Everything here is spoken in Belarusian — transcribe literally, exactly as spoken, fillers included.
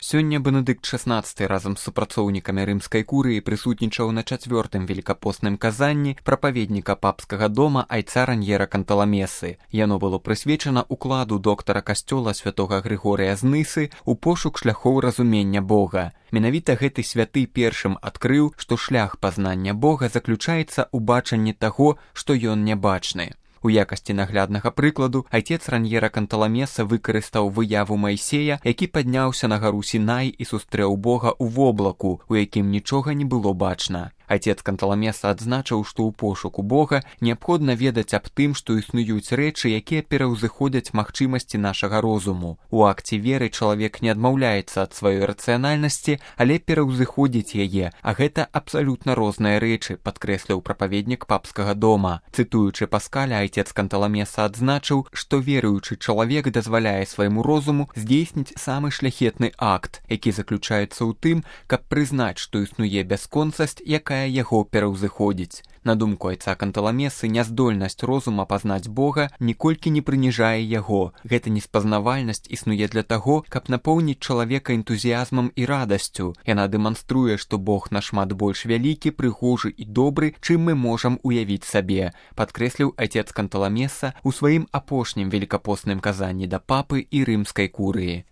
Сёння Бенедыкт шаснаццаты разам з супрацоўнікамі рымскай курыі прысутнічаў на чацвёртым велікапостным казанні прапаведніка папскага дома айца Раньера Канталамесы. Яно было прысвечана укладу доктара касцёла святога Грыгорыя з Нысы ў пошук шляхоў разумення Бога. Менавіта гэты святы першым адкрыў, што шлях пазнання Бога заключаецца ў бачанні таго, што ён нябачны. У якасці нагляднага прыкладу айцец Раньера Канталамеса выкарыстаў выяву Майсея, які падняўся на гару Сінай і сустрэў Бога ў воблаку, у якім нічога не было бачна. Айцец Канталамеса адзначыў, што ў пошуку Бога неабходна ведаць аб тым, што існуюць рэчы, якія пераўзыходзяць магчымасці нашага розуму. У акце веры чалавек не адмаўляецца ад сваёй рацыянальнасці, але пераўзыходзіць яе, а гэта абсалютна розныя рэчы, падкрэсліў прапаведнік папскага дома. Цытуючы Паскаля, айцец Канталамеса адзначыў, што веруючы чалавек дазваляе свайму розуму здзейсніць самы шляхетны акт, які заключаецца ў тым, каб прызнаць, што існуе бясконцасць, якая яго пераўзыходзіць. На думку айца Канталамесы, няздольнасць розума пазнаць Бога ніколькі не прыніжае яго. Гэта неспазнавальнасць існуе для таго, каб напоўніць чалавека энтузіязмам і радасцю. Яна дэманструе, што Бог нашмат больш вялікі, прыгожы і добры, чым мы можам уявіць сабе, падкрэсліў айцец Канталамеса ў сваім апошнім велікапостным казанні да папы і рымскай курыі.